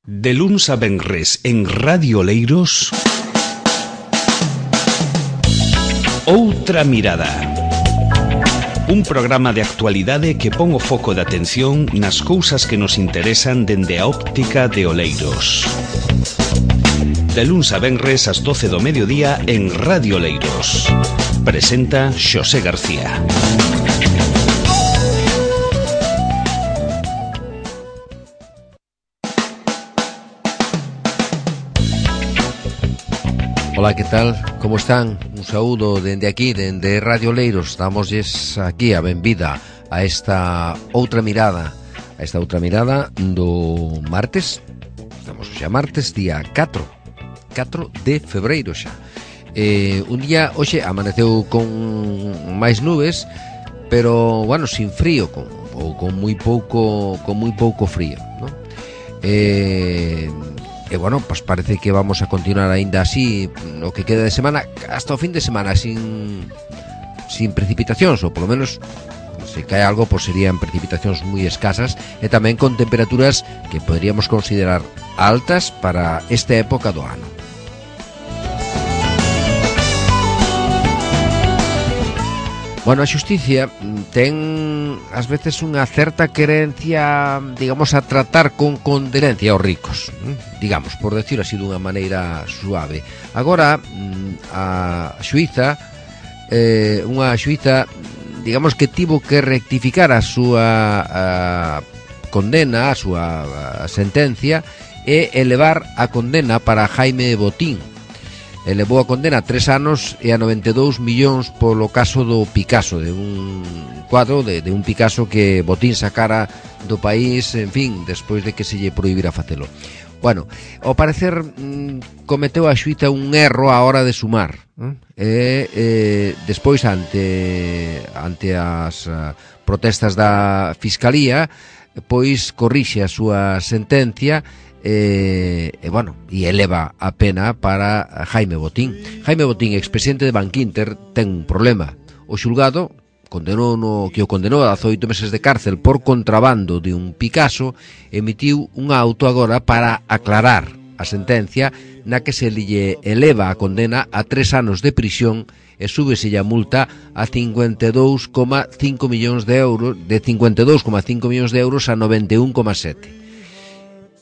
De luns a venres en Radio Oleiros, Outra Mirada. Un programa de actualidade que pon o foco de atención nas cousas que nos interesan dende a óptica de Oleiros. De luns a venres ás 12 do mediodía en Radio Oleiros. Presenta Xosé García. Ola, que tal? Como están? Un saúdo dende aquí, dende Radio Oleiros. Damosles aquí a benvida a esta outra mirada, do martes. Estamos xa martes, día 4 de febreiro xa. Un día, hoxe, amaneceu con máis nubes, pero, bueno, sin frío, con moi pouco frío, non? E bueno, pues parece que vamos a continuar aínda así o que queda de semana, hasta o fin de semana sin precipitacións, ou polo menos se cae algo, pues serían precipitacións moi escasas e tamén con temperaturas que poderíamos considerar altas para esta época do ano. Bueno, a xusticia ten ás veces unha certa querencia, digamos, a tratar con condenencia aos ricos, digamos, por decirlo así dunha maneira suave. Agora, a xuíza, unha xuíza, digamos que tivo que rectificar a súa condena, a súa sentencia, e elevar a condena para Jaime Botín. Elevou a condena a 3 anos e a 92 millóns polo caso do Picasso, de un cuadro de un Picasso que Botín sacara do país, en fin, despois de que se lle prohibira facelo. Bueno, ao parecer cometeu a xuíza un erro á hora de sumar, despois ante as protestas da Fiscalía, pois corrixe a súa sentencia e eleva a pena para Jaime Botín. Jaime Botín, expresidente de Bankinter, ten un problema. O xulgado condenou a 18 meses de cárcel por contrabando de un Picasso, emitiu un auto agora para aclarar a sentencia na que se lle eleva a condena a 3 anos de prisión e súbese a multa a 52,5 millóns de euros, de 52,5 millóns de euros a 91,7.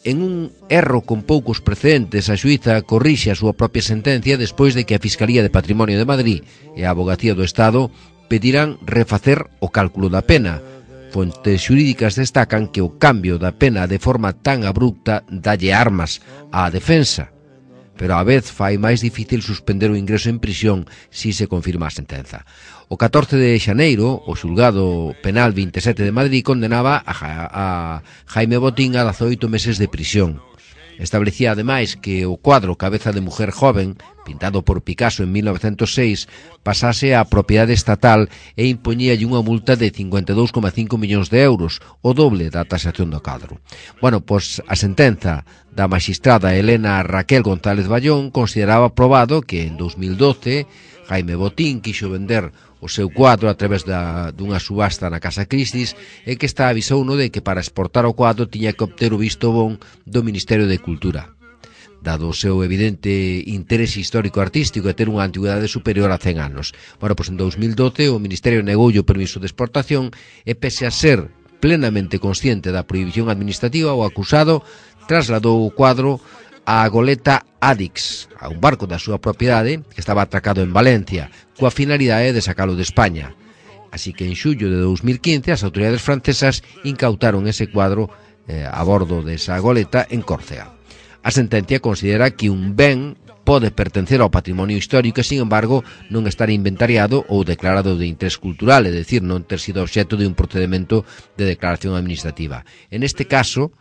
En un erro con poucos precedentes, a xuíza corrixe a súa propia sentencia despois de que a Fiscalía de Patrimonio de Madrid e a Avogacía do Estado pediran refacer o cálculo da pena. Fontes xurídicas destacan que o cambio da pena de forma tan abrupta dalle armas á defensa, pero á vez fai máis difícil suspender o ingreso en prisión si se confirma a sentenza. O 14 de xaneiro, o xulgado penal 27 de Madrid condenaba a Jaime Botín a 18 meses de prisión. Establecía ademais que o cuadro Cabeza de Mujer Joven, pintado por Picasso en 1906, pasase á propiedade estatal e impoñíalle unha multa de 52,5 millóns de euros, o doble da tasación do cadro. Bueno, pois a sentenza da magistrada Elena Raquel González Ballón consideraba probado que en 2012 Jaime Botín quixo vender o seu cuadro a través dunha subasta na Casa Christie's e que esta avisouno de que para exportar o cuadro tiña que obter o visto bon do Ministerio de Cultura. Dado o seu evidente interese histórico-artístico e ter unha antigüedade superior a 100 anos. Bueno, pois en 2012 o Ministerio negoulle o permiso de exportación e pese a ser plenamente consciente da prohibición administrativa, o acusado trasladou o cuadro a goleta Adix, a un barco da súa propiedade que estaba atracado en Valencia, coa finalidade de sacalo de España. Así que en xullo de 2015 as autoridades francesas incautaron ese cuadro a bordo desa goleta en Córcega. A sentencia considera que un ben pode pertencer ao patrimonio histórico e, sin embargo, non estar inventariado ou declarado de interés cultural, é dicir, non ter sido obxecto de un procedimento de declaración administrativa. En este caso,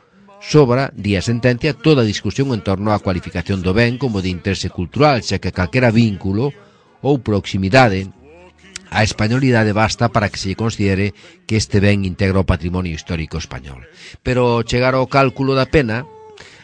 sobra, di a sentencia, toda a discusión en torno á cualificación do ben como de interese cultural, xa que calquera vínculo ou proximidade á españolidade basta para que se lle considere que este ben integra o patrimonio histórico español. Pero ao chegar ao cálculo da pena,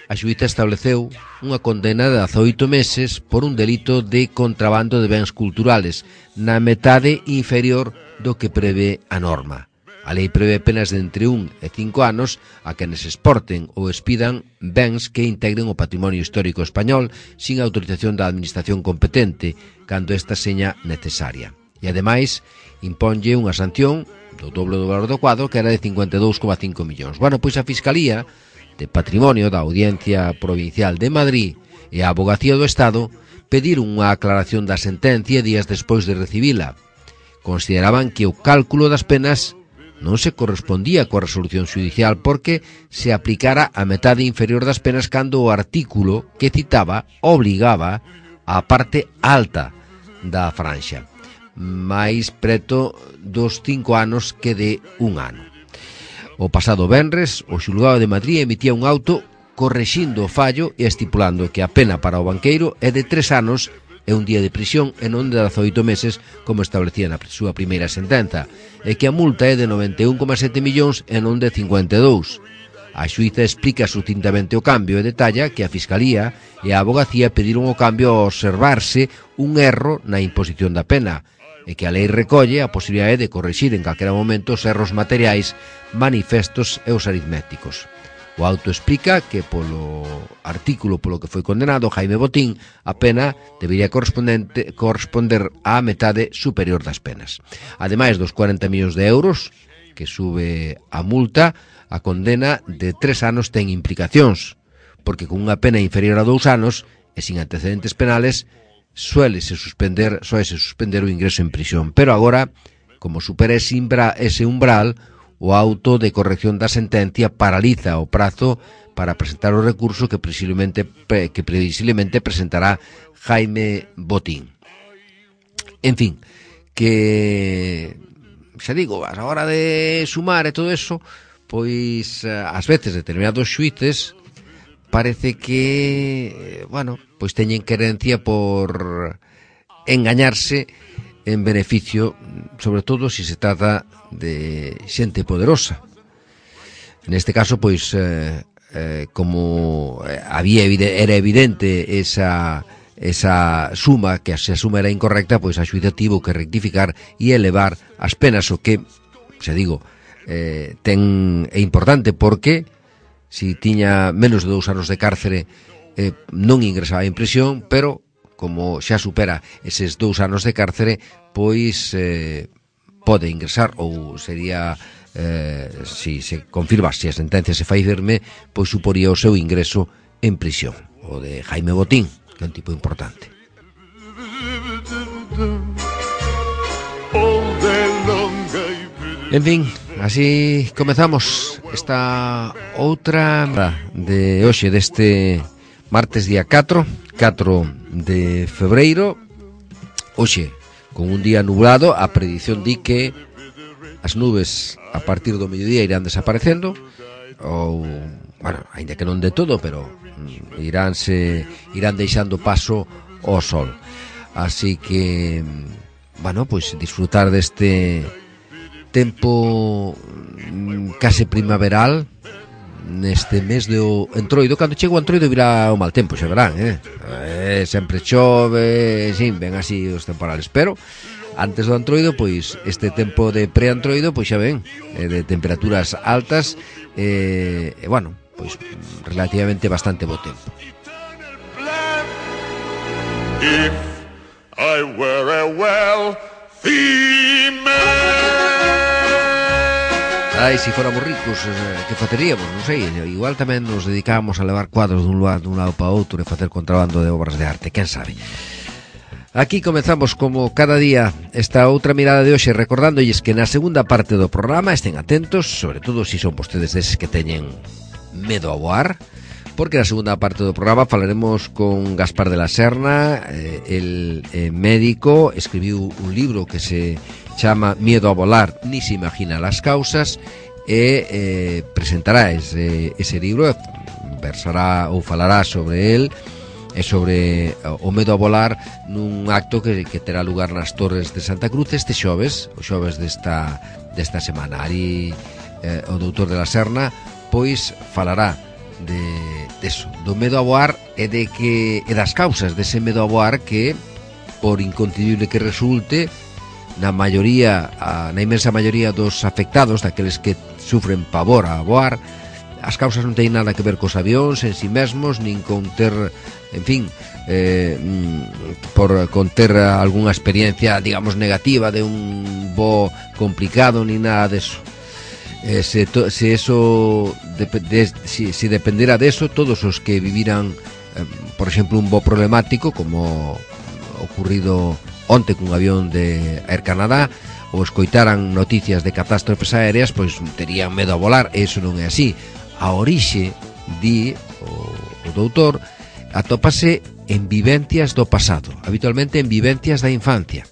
a xuíza estableceu unha condena de 18 meses por un delito de contrabando de bens culturales, na metade inferior do que prevé a norma. A lei prevé penas de entre 1 e 5 anos a quenes exporten ou expidan bens que integren o patrimonio histórico español sin autorización da administración competente, cando esta seña necesaria. E, ademais, imponlle unha sanción do doble do valor do cuadro, que era de 52,5 millóns. Bueno, pois a Fiscalía de Patrimonio da Audiencia Provincial de Madrid e a Abogacía do Estado pediron unha aclaración da sentencia días despois de recibila. Consideraban que o cálculo das penas non se correspondía coa resolución judicial porque se aplicara a metade inferior das penas cando o artículo que citaba obligaba á parte alta da franxa, máis preto dos 5 anos que de 1 ano. O pasado venres, o xulgado de Madrid emitía un auto correxindo o fallo e estipulando que a pena para o banqueiro é de 3 anos e un día de prisión e non de 18 meses como establecía na súa primeira sentenza, e que a multa é de 91,7 millóns e non de 52. A xuíza explica sucintamente o cambio e detalla que a Fiscalía e a Abogacía pediron o cambio ao observarse un erro na imposición da pena, e que a lei recolle a posibilidade de corrixir en calquera momento os erros materiais, manifestos e os aritméticos. O auto explica que polo artículo polo que foi condenado Jaime Botín, a pena debería corresponder á metade superior das penas. Ademais dos 40 millóns de euros que sube a multa, a condena de 3 anos ten implicacións, porque con unha pena inferior a 2 anos e sin antecedentes penales suélese suspender o ingreso en prisión. Pero agora, como supera ese umbral, o auto de corrección da sentencia paraliza o prazo para presentar o recurso que previsiblemente presentará Jaime Botín. En fin, que xa digo, a hora de sumar e todo eso, pois ás veces determinados xuíces parece que, bueno, pois teñen querencia por engañarse en beneficio, sobre todo se se trata de xente poderosa. Neste caso, pois, como era evidente esa suma, que se a suma era incorrecta, pois a xuíza tivo que rectificar e elevar as penas, o que, xa digo, é importante porque si tiña menos de 2 anos de cárcere non ingresaba en prisión, pero como xa supera eses 2 anos de cárcere, pois pode ingresar, ou sería, si se confirma, se a sentencia se fai firme, pois suporía o seu ingreso en prisión. O de Jaime Botín, que é un tipo importante. En fin, así comezamos esta outra de hoxe, deste martes día 4 de febreiro. Hoxe, con un día nublado, a predición di que as nubes a partir do mediodía irán desaparecendo, ou, bueno, ainda que non de todo, pero irán deixando paso ao sol. Así que, bueno, pois disfrutar deste tempo case primaveral neste mes do Entroido. Cando chego o Entroido virá o mal tempo, xa verán, sempre chove, sin, ven así os temporales, pero antes do Entroido, pois este tempo de pre-Entroido, pois xa ven, de temperaturas altas, e bueno, pois relativamente bastante bo tempo. If I were a wealthy man. Ai, se fóramos ricos, que faceríamos? Non sei, igual tamén nos dedicábamos a levar cuadros dun lado para outro e facer contrabando de obras de arte, quen sabe. Aquí comezamos como cada día esta outra mirada de hoxe, recordándolles que na segunda parte do programa estén atentos, sobre todo se son vostedes deses que teñen medo a voar, porque na segunda parte do programa falaremos con Gaspar de la Serna, el médico, escribiu un libro que se chama Miedo a volar, ni se imagina las causas, e presentará ese libro, versará ou falará sobre el e sobre o medo a volar nun acto que terá lugar nas Torres de Santa Cruz este xoves, o xoves desta semana. Ali o doutor de la Serna pois falará deso, do medo a voar e das causas dese medo a voar que, por inconcebible que resulte, na inmensa maioría dos afectados, daqueles que sufren pavor a voar, as causas non teñen nada que ver cos avións en si mesmos, nin con ter, en fin, con ter algunha experiencia, digamos, negativa de un voo complicado, ni nada deso. Si dependera deso, todos os que viviran, por exemplo, un voo problemático, como ocurrido onte cun avión de Air Canada, ou escoitaran noticias de catástrofes aéreas, pois terían medo a volar. E iso non é así. A orixe, di o doutor, atópase en vivencias do pasado, habitualmente en vivencias da infancia.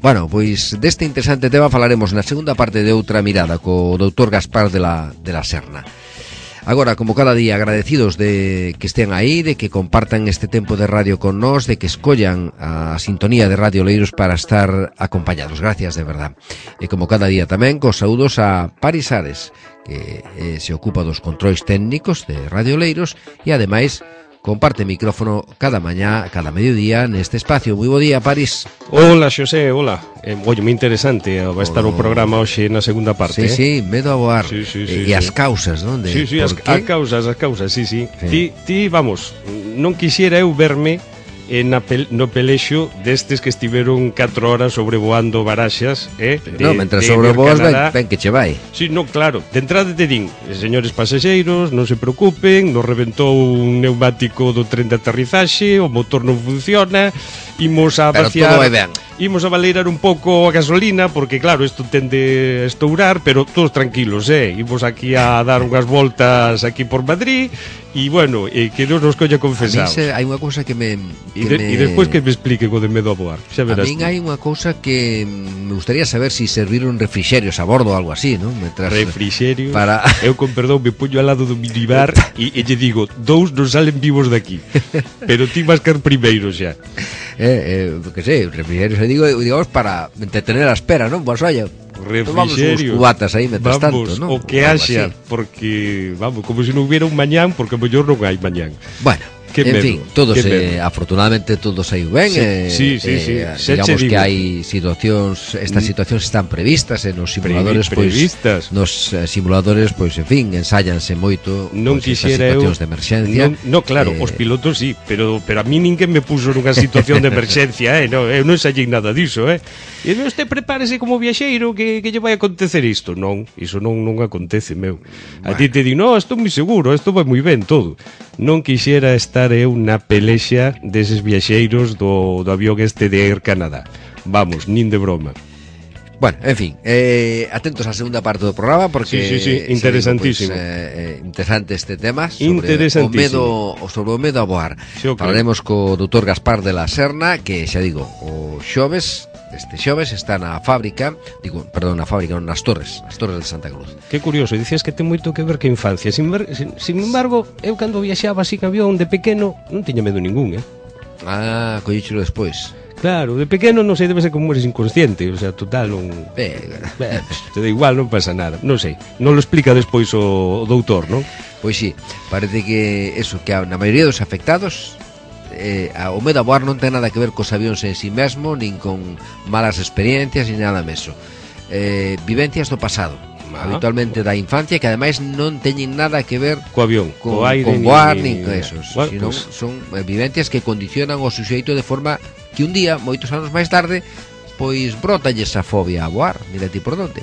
Bueno, pois deste interesante tema falaremos na segunda parte de Outra Mirada co doutor Gaspar de la Serna. Agora, como cada día, agradecidos de que estén aí, de que compartan este tempo de radio con nós, de que escollan a sintonía de Radio Oleiros para estar acompañados. Gracias, de verdad. E como cada día tamén, cos saúdos a Paris Ares, que se ocupa dos controis técnicos de Radio Oleiros e, ademais, comparte micrófono cada mañá, cada mediodía neste espacio. Moi bo día, Paris. Hola, Xosé, hola. Moi interesante vai estar o programa hoxe na segunda parte. Sí, medo a voar. Sí, e as causas, non? Sí, as causas, sí. Ti, vamos, non quixera eu verme no pelexo destes que estiveron 4 horas sobrevoando Baraxas, mentras sobrevoas ben que che vai. Sí, non, claro, de entrada te din, señores pasaxeiros, non se preocupen, nos reventou un neumático do tren de aterrizaxe, o motor non funciona, imos a vaciar, imos a valeirar un pouco a gasolina, porque claro, isto tende a estourar, pero todos tranquilos, imos aquí a dar unhas voltas aquí por Madrid, e bueno, que non nos coña confesados. A mí hai unha cousa que me... E despois que me explique co de medo a voar. Xa verás. A min hai unha cousa que me gustaría saber si serviron refrixerios a bordo ou algo así, non? Refrixerios? Eu, con perdón, me puño al lado do minibar e lle digo, 2 non salen vivos daqui. Pero ti vas caer primeiro xa. Que sei, refrixerios, digamos, para entretener a espera, non? Pues oye, refrixerio, uns cubatas aí metas tanto, non? O que haxa, porque, vamos, como se non hubiera un mañán, porque mellor non hai mañán. Bueno, en fin, todos afortunadamente todos saiu ben. Sí. Digamos que hai situacións, estas situacións están previstas en os simuladores, previstas. Nos simuladores, pois, en fin, ensállanse moito non quixera situacións de emerxencia. No, claro, os pilotos sí, pero a mí ninguén me puso nunha situación de emerxencia, eu non ensallei nada diso, E usted prepárese como viaxeiro que lle vai acontecer isto. Non, iso non acontece, meu. A ti te di, no, estou moi seguro, isto vai moi ben todo. Non quixera estar eu na pelexa deses viaxeiros do avión este de Air Canada. Vamos, nin de broma. Bueno, en fin, atentos á segunda parte do programa, porque sí, interesantísimo. Interesante este tema sobre o medo a voar. Sí, okay. Falaremos co doutor Gaspar de la Serna, que xa digo, o xoves, este xoves está na fábrica, nas Torres de Santa Cruz. Que curioso, dicías que ten moito que ver que infancia. Sin embargo, eu cando viaxaba así que avión de pequeno non tiña medo ningún, collíchelo despois. Claro, de pequeno non sei, debe ser como eres inconsciente, o sea, total, non... te da igual, non pasa nada, non sei. Non lo explica despois o doutor, non? Pois sí, parece que eso, que na maioría dos afectados o medo a voar non ten nada que ver cos avións en si mesmo, nin con malas experiencias, nin nada meso. Vivencias do pasado, habitualmente da infancia, que ademais non teñen nada que ver co avión, co aire, con voar, nin con esos, sino son vivencias que condicionan o suxeito de forma que un día, moitos anos máis tarde, pois brotalle esa fobia a voar. Mira ti por onde.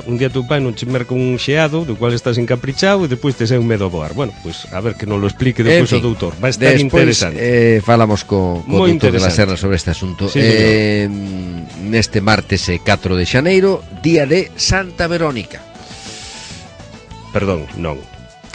Un día tu pai non che merca un xeado do cual estás encaprichado e depois te sei un medo a voar. Bueno, pois a ver que non lo explique depois o doutor. Vai estar interesante. Falamos co doutor de la Serna sobre este asunto. Sí, neste martes 4 de xaneiro, día de Santa Verónica. Perdón, non.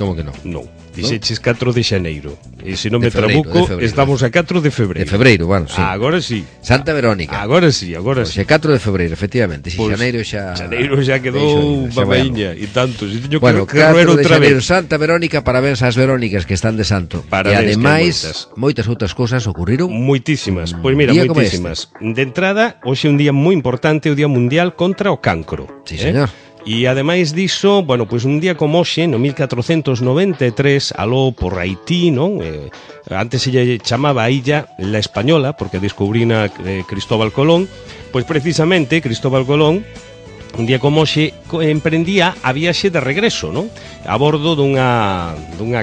Como que non? Non. Dixeches 4 de xaneiro. E se non me trabuco, estamos a 4 de febreiro. De febreiro, bueno, sí. Agora sí. Santa Verónica. Agora sí. Xe 4 de febreiro, efectivamente. Si xaneiro xa... Xaneiro xa quedou unha baíña e tanto. Si teño que roer outra vez. Santa Verónica, parabéns ás Verónicas que están de santo. E ademais, moitas outras cousas ocurriron. Moitísimas. Pois mira, moitísimas. De entrada, hoxe é un día moi importante, o Día Mundial contra o Cancro. Sí, señor. E ademais diso, bueno, pois un día como hoxe, no 1493, aló por Haití, non? Antes se lle chamaba a illa La Española, porque descubrina Cristóbal Colón, pois precisamente Cristóbal Colón, un día como hoxe, emprendía a viaxe de regreso, non? A bordo dunha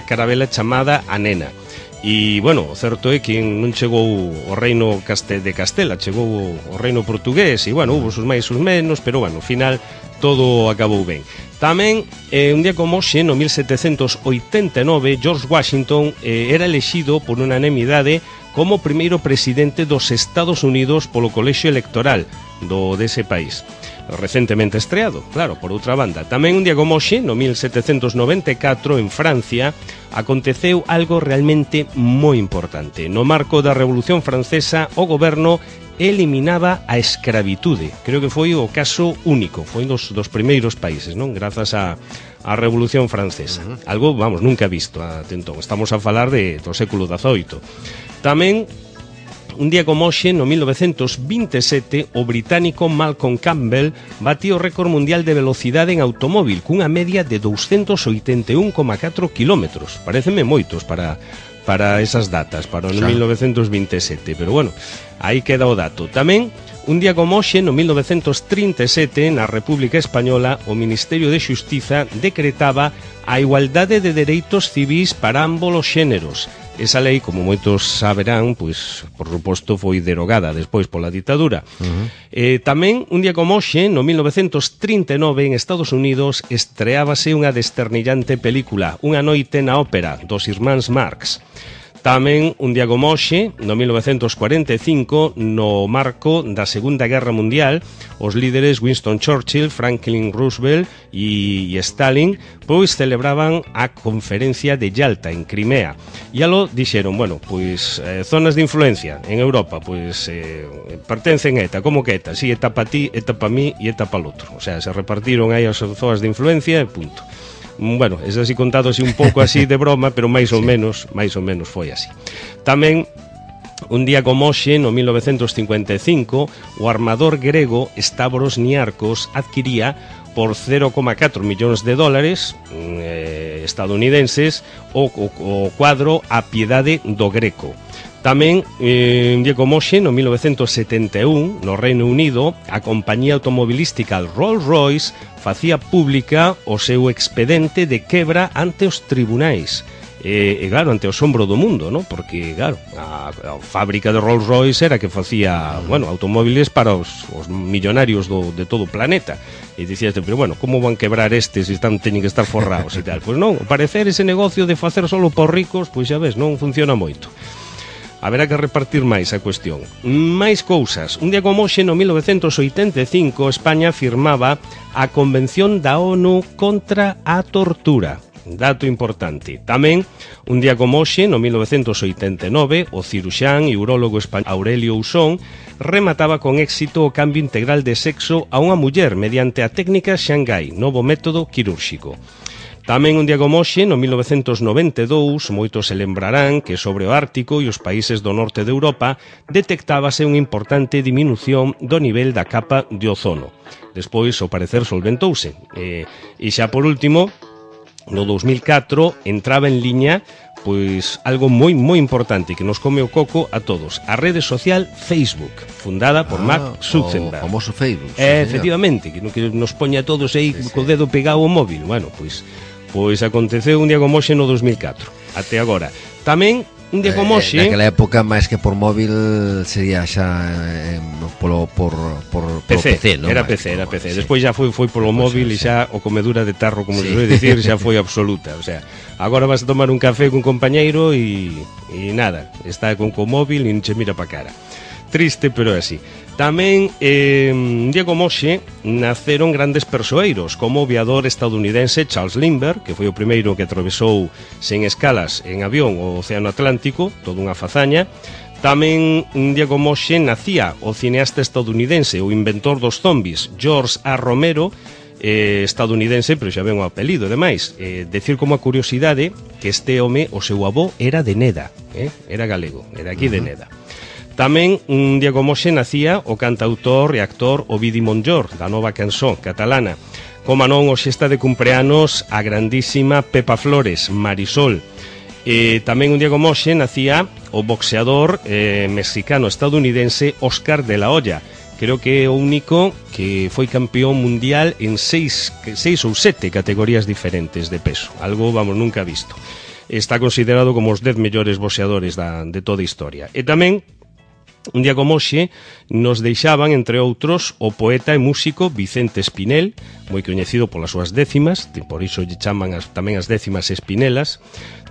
carabela chamada A Nena. E, bueno, o certo é que non chegou o reino de Castela, chegou o reino portugués, e, bueno, hubo sus máis e sus menos, pero, bueno, ao final todo acabou ben. Tamén, un día como hoxe, no 1789, George Washington era elexido por unanimidade como primeiro presidente dos Estados Unidos polo colexio electoral dese país. Recentemente estreado, claro, por outra banda. Tamén un día como hoxe, no 1794, en Francia, aconteceu algo realmente moi importante. No marco da Revolución Francesa, o goberno eliminaba a escravitude. Creo que foi o caso único, foi dos primeiros países, non? Grazas á Revolución Francesa. Algo, vamos, nunca visto até entón. Estamos a falar do século XVIII. Tamén, un día como hoxe, no 1927, o británico Malcolm Campbell batía o récord mundial de velocidade en automóvil cunha media de 281,4 kilómetros. Pareceme moitos para esas datas, para o 1927, pero bueno, aí queda o dato. Tamén, un día como hoxe, no 1937, na República Española, o Ministerio de Xustiza decretaba a igualdade de dereitos civis para ambos os xéneros. Esa lei, como moitos saberán, pois, por suposto, foi derogada despois pola ditadura. Tamén, un día como hoxe, no 1939, en Estados Unidos, estreábase unha desternillante película, Unha noite na ópera, dos irmáns Marx. Tamén, un día como hoxe, no 1945, no marco da Segunda Guerra Mundial, os líderes Winston Churchill, Franklin Roosevelt e Stalin pois celebraban a conferencia de Yalta en Crimea. E alo dixeron, bueno, pois zonas de influencia en Europa, pois pertencen a ETA, como que ETA? Si, ETA pa ti, ETA pa mí e ETA pa l'otro. O sea, se repartiron aí as zonas de influencia e punto. Bueno, es así contado así un pouco así de broma, pero máis ou menos foi así. Tamén, un día como hoxe, no 1955, o armador grego Stavros Niarchos adquiría por 0,4 millóns de dólares estadounidenses o cuadro A Piedade do Greco. Tamén, un día como hoxe, no 1971, no Reino Unido, a compañía automobilística Rolls-Royce facía pública o seu expedente de quebra ante os tribunais. E claro, ante o asombro do mundo, ¿no? Porque, claro, a fábrica de Rolls-Royce era que facía, bueno, automóviles para os millonarios de todo o planeta. E dicíaste, pero bueno, como van quebrar estes se teñen que estar forrados e tal? Pois non, ao parecer ese negocio de facer solo por ricos, pois xa ves, non funciona moito. Haberá que repartir máis a cuestión. Máis cousas. Un día como hoxe, no 1985, España firmaba a Convención da ONU contra a tortura. Dato importante. Tamén, un día como hoxe, no 1989, o ciruxán e urólogo español Aurelio Usón remataba con éxito o cambio integral de sexo a unha muller mediante a técnica Shanghai, novo método quirúrxico. Tamén un día como hoxe, no 1992, moitos se lembrarán que sobre o Ártico e os países do norte de Europa detectábase unha importante diminución do nivel da capa de ozono. Despois, ao parecer, solventouse. E xa por último, no 2004, entraba en liña pois algo moi importante que nos come o coco a todos, a rede social Facebook, fundada por Mark Zuckerberg. O famoso Facebook. Efectivamente, que nos poña a todos aí co dedo pegado ao móvil. Bueno, pois aconteceu un día como hoxe no 2004, até agora. Tamén, un día como hoxe... Naquela época, máis que por móvil, sería xa por PC, non? Era PC. Despois xa foi polo móvil e xa o comedura de tarro, como se suele dicir, xa foi absoluta. O sea, agora vas a tomar un café cun compañeiro e nada, está con móvil e non che mira pa cara. Triste, pero é así. Tamén, un día como hoxe, naceron grandes persoeiros, como o aviador estadounidense Charles Lindbergh, que foi o primeiro que atravesou sen escalas en avión o Océano Atlántico, toda unha fazaña. Tamén, un día como hoxe, nacía o cineasta estadounidense, o inventor dos zombies, George A. Romero, estadounidense, pero xa ven o apelido, ademais. Decir como a curiosidade que este home, o seu avó, era de Neda, era galego, era aquí de Neda. Tamén, un día como hoxe, nacía o cantautor e actor Ovidi Montllor, da nova canción catalana. Como non, hoxe está de cumpleanos a grandísima Pepa Flores, Marisol. Tamén un día como hoxe nacía o boxeador mexicano-estadounidense Oscar de la Hoya. Creo que é o único que foi campeón mundial en 6 ou 7 categorías diferentes de peso. Algo, vamos, nunca visto. Está considerado como os 10 mellores boxeadores de toda a historia. E tamén, un día como hoxe, nos deixaban, entre outros, o poeta e músico Vicente Espinel, moi coñecido polas súas décimas, por iso lle chaman tamén as décimas espinelas.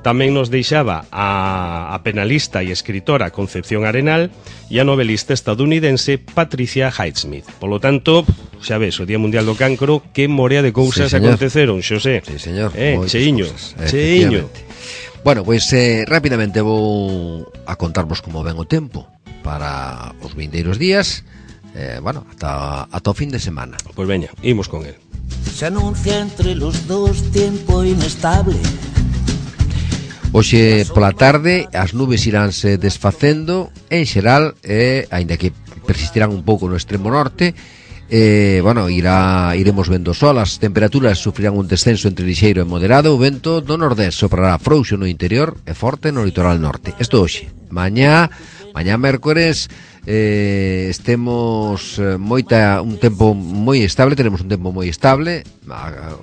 Tamén nos deixaba a penalista e escritora Concepción Arenal e a novelista estadounidense Patricia Highsmith. Polo tanto, xa ves, o Día Mundial do Cancro, que morea de cousas aconteceron, Xosé. Sí, señor. Cheiño. Bueno, pois rapidamente vou a contarvos como ven o tempo para os vindeiros días, ata o fin de semana. Pois veña, imos con el. Se anuncia entre los dos tiempo inestable. Hoxe pola tarde as nubes iránse desfacendo en xeral, aínda que persistirán un pouco no extremo norte. Iremos vendo sol, as temperaturas sufrirán un descenso entre lixeiro e moderado. O vento do nordés soprará frouxo no interior e forte no litoral norte. Isto hoxe. Mañá mércores temos un tempo moi estable, teremos un tempo moi estable.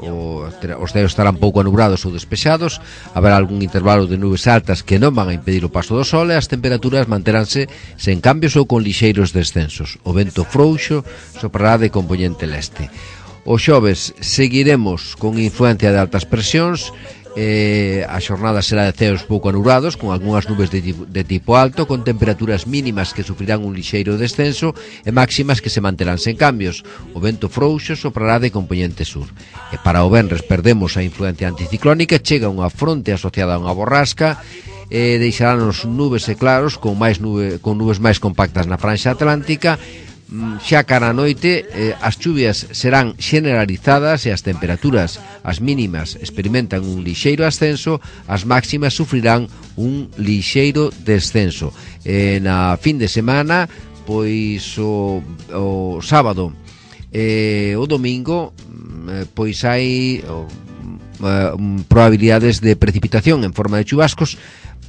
Os ceos estarán pouco anubrados ou despexados, haberá algún intervalo de nubes altas que non van a impedir o paso do sol, e as temperaturas manteránse sen cambios ou con lixeiros descensos. O vento frouxo soprará de compoñente leste. O xoves seguiremos con influencia de altas presións. A xornada será de ceos pouco anubrados, con algunhas nubes de tipo alto, con temperaturas mínimas que sufrirán un lixeiro descenso e máximas que se manterán sen cambios. O vento frouxo soprará de compoñente sur. E para o venres perdemos a influencia anticiclónica, chega unha fronte asociada a unha borrasca e deixarános nubes e claros con nubes máis compactas na franxa atlántica. Xa cara a noite as chuvias serán generalizadas e as temperaturas, as mínimas, experimentan un lixeiro ascenso, as máximas sufrirán un lixeiro descenso. Na fin de semana, pois o sábado e o domingo, pois hai probabilidades de precipitación en forma de chubascos,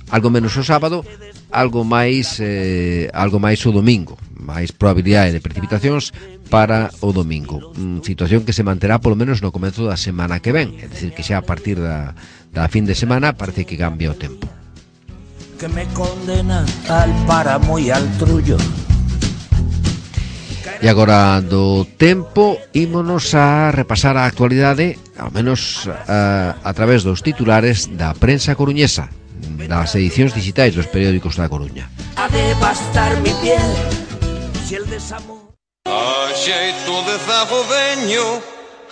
algo menos o sábado, algo máis o domingo, máis probabilidade de precipitacións para o domingo. Situación que se manterá polo menos no comezo da semana que ven, é dicir, que xa a partir da fin de semana parece que cambia o tempo. Que me condena al páramo e al trullo. E agora do tempo ímonos a repasar a actualidade, ao menos a través dos titulares da prensa coruñesa, das edicións digitais dos periódicos da Coruña. A devastar mi piel si el desamor. A xeito de zafo veño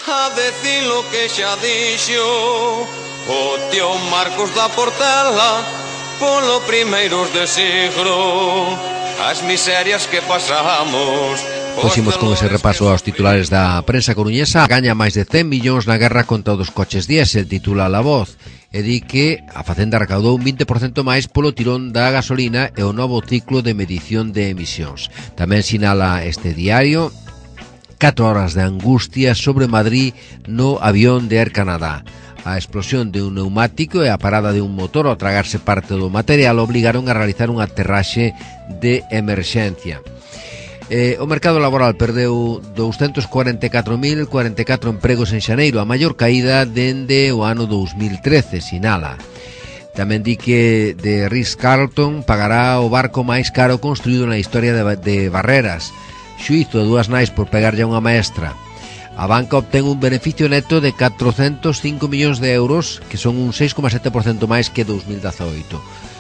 a decir lo que xa dixo o tío Marcos da Portela polo primeiros de siglo, as miserias que pasamos. Poximos con ese repaso aos titulares da prensa coruñesa. Gaña máis de 100 millóns na guerra contra os coches diésel, titula La Voz, e di que a Facenda recaudou un 20% máis polo tirón da gasolina e o novo ciclo de medición de emisións. Tamén sinala este diario 4 horas de angustia sobre Madrid no avión de Air Canadá. A explosión de un neumático e a parada de un motor ao tragarse parte do material obligaron a realizar un aterraxe de emerxencia. O mercado laboral perdeu 244.044 empregos en xaneiro, a maior caída dende o ano 2013, sinala. Tamén di que de Ritz-Carlton pagará o barco máis caro construído na historia de Barreras. Xuízo de 2 nais por pegarlle a unha maestra. A banca obtén un beneficio neto de 405 millóns de euros, que son un 6,7% máis que 2018.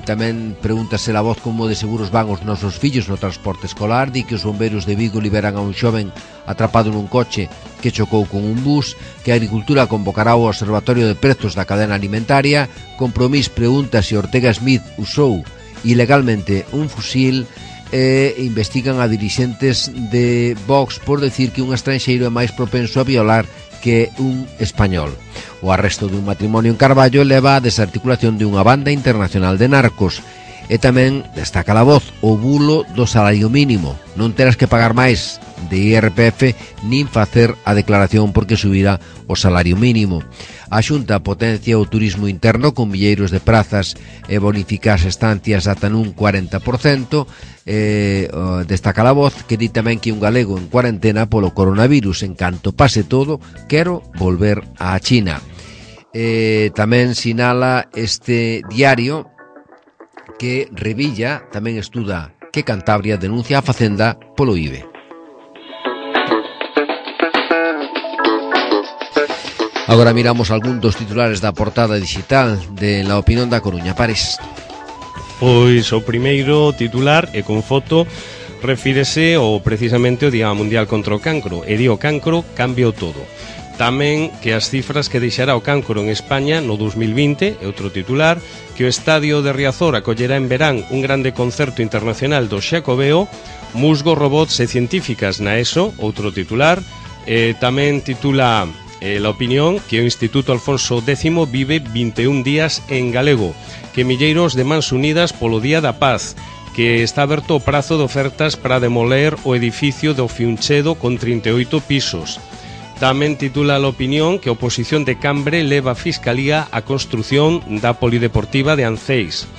Tamén pregúntase La Voz como de seguros van os nosos fillos no transporte escolar. Di que os bombeiros de Vigo liberan a un xoven atrapado nun coche que chocou con un bus, que a Agricultura convocará o Observatorio de Prezos da Cadena Alimentaria. Compromís pregunta se Ortega Smith usou ilegalmente un fusil e investigan a dirixentes de Vox por decir que un estranxeiro é máis propenso a violar que un español. O arresto dun matrimonio en Carballo leva a desarticulación de unha banda internacional de narcos. E tamén destaca La Voz o bulo do salario mínimo. Non terás que pagar máis de IRPF nin facer a declaración porque subirá o salario mínimo. A Xunta potencia o turismo interno con milleiros de prazas e bonificar as estancias ata nun 40%. Destaca La Voz que di tamén que un galego en cuarentena polo coronavirus, en canto pase todo, quero volver á China. Tamén sinala este diario que Revilla tamén estuda que Cantabria denuncia a Facenda polo IBE. Agora miramos algún dos titulares da portada digital de La Opinión da Coruña. Pares. Pois o primeiro titular e con foto refírese ao precisamente o Día Mundial contra o Cancro. E di o cancro cambiou todo. Tamén que as cifras que deixará o cancro en España no 2020, e outro titular, que o estadio de Riazor acollerá en verán un grande concerto internacional do Xacobeo, musgos, robots e científicas na ESO, outro titular. Tamén titula La Opinión que o Instituto Alfonso X vive 21 días en galego, que milleiros de mans unidas polo Día da Paz, que está aberto o prazo de ofertas para demoler o edificio do Fiunchedo con 38 pisos. Tamén titula La Opinión que a oposición de Cambre leva a Fiscalía a construción da polideportiva de Anceis,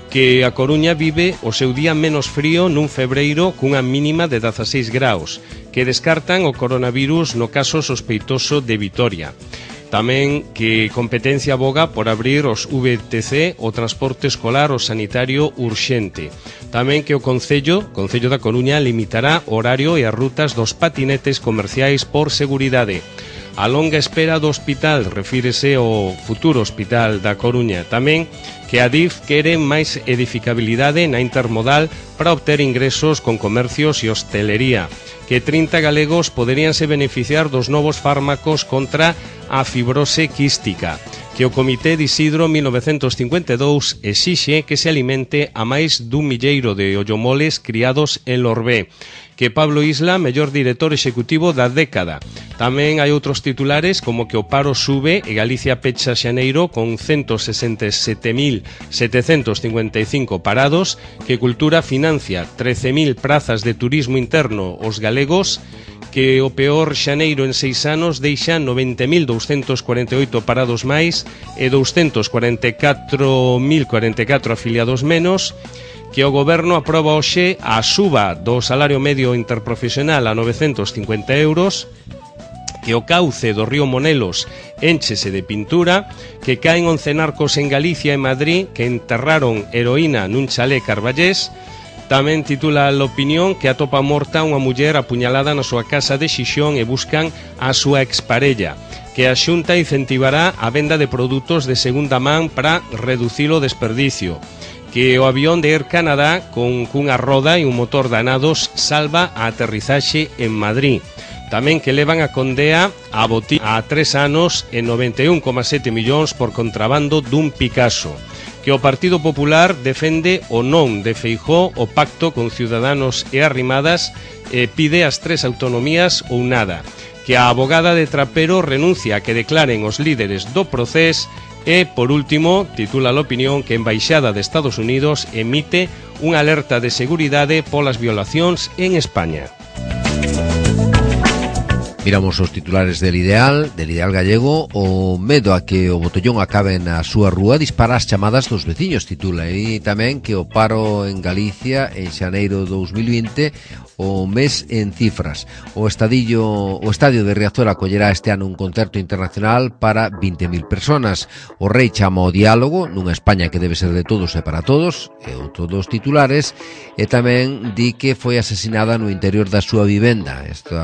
que a Coruña vive o seu día menos frío nun febreiro cunha mínima de 16 graus, que descartan o coronavirus no caso sospeitoso de Vitoria. Tamén que competencia aboga por abrir os VTC, o transporte escolar o sanitario urxente. Tamén que o Concello da Coruña limitará o horario e as rutas dos patinetes comerciais por seguridade. A longa espera do hospital, refírese ao futuro hospital da Coruña. Tamén que a DIF quere máis edificabilidade na intermodal para obter ingresos con comercios e hostelería, que 30 galegos poderíanse beneficiar dos novos fármacos contra a fibrose quística, que o Comité de Isidro 1952 exixe que se alimente a máis dun milleiro de ollomoles criados en Lorbé, que Pablo Isla, mellor director executivo da década. Tamén hai outros titulares como que o paro sube e Galicia pecha xaneiro con 167.755 parados, que Cultura financia 13.000 prazas de turismo interno aos galegos, que o peor xaneiro en 6 anos deixa 90.248 parados máis e 244.044 afiliados menos, que o Goberno aproba hoxe a suba do salario medio interprofesional a 950 euros, que o cauce do río Monelos énchese de pintura, que caen 11 narcos en Galicia e Madrid que enterraron heroína nun chalé carballés. Tamén titula La Opinión que atopa morta unha muller apuñalada na súa casa de Xixón e buscan a súa exparella, que a Xunta incentivará a venda de produtos de segunda man para reducir o desperdicio, que o avión de Air Canada cunha roda e un motor danados salva a aterrizaxe en Madrid. Tamén que levan a Condea a botín a 3 anos e 91,7 millóns por contrabando dun Picasso, que o Partido Popular defende o non de Feijóo o pacto con Ciudadanos e Arrimadas e pide as 3 autonomías ou nada, que a abogada de Trapero renuncia a que declaren os líderes do Procés e, por último, titula La Opinión que a Embaixada de Estados Unidos emite unha alerta de seguridade polas violacións en España. Miramos os titulares del Ideal gallego. O medo a que o botellón acabe na súa rúa dispara as chamadas dos veciños, titula. E tamén que o paro en Galicia en xaneiro 2020 o mes en cifras. O estadio de Riazor acollerá este ano un concerto internacional para 20.000 personas. O rei chama ao diálogo nunha España que debe ser de todos e para todos, e outro dos titulares, e tamén di que foi asesinada no interior da súa vivenda. Isto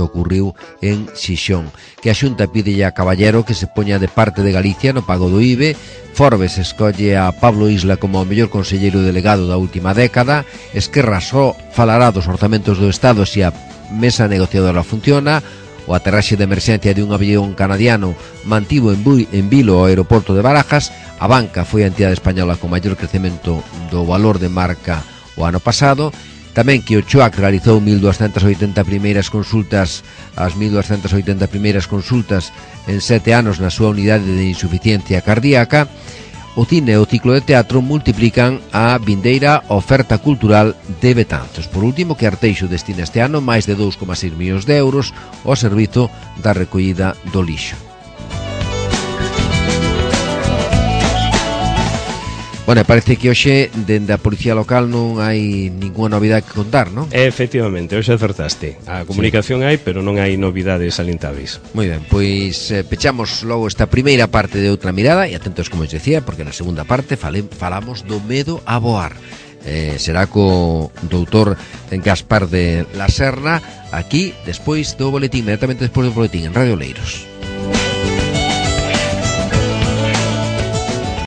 ocurriu en Xixón. Que a Xunta pide a Caballero que se poña de parte de Galicia no pago do IBE. Forbes escolle a Pablo Isla como o mellor conselleiro delegado da última década. Esquerra só falará dos orzamentos do Estado se a mesa negociadora funciona. O aterraxe de emerxencia de un avión canadiano mantivo en vilo ao aeroporto de Barajas. A banca foi a entidade española con maior crecemento do valor de marca o ano pasado. Tamén que o CHOAC realizou 1.280 primeiras consultas, as 1.280 primeiras consultas en 7 anos na súa unidade de insuficiencia cardíaca. o cine e o ciclo de teatro multiplican a vindeira oferta cultural de Betanzos. Por último, que Arteixo destina este ano máis de 2,6 millóns de euros ao servizo da recollida do lixo. Bueno, parece que hoxe dende a Policía Local non hai ninguna novidade que contar, non? Efectivamente, hoxe acertaste. A comunicación hai, pero non hai novidades salientáveis. Moi ben, pois pechamos logo esta primeira parte de Outra Mirada e atentos, como os decía, porque na segunda parte falamos do medo a voar. Será co doutor Gaspar de la Serna aquí, despois do boletín, inmediatamente despois do boletín en Radio Oleiros.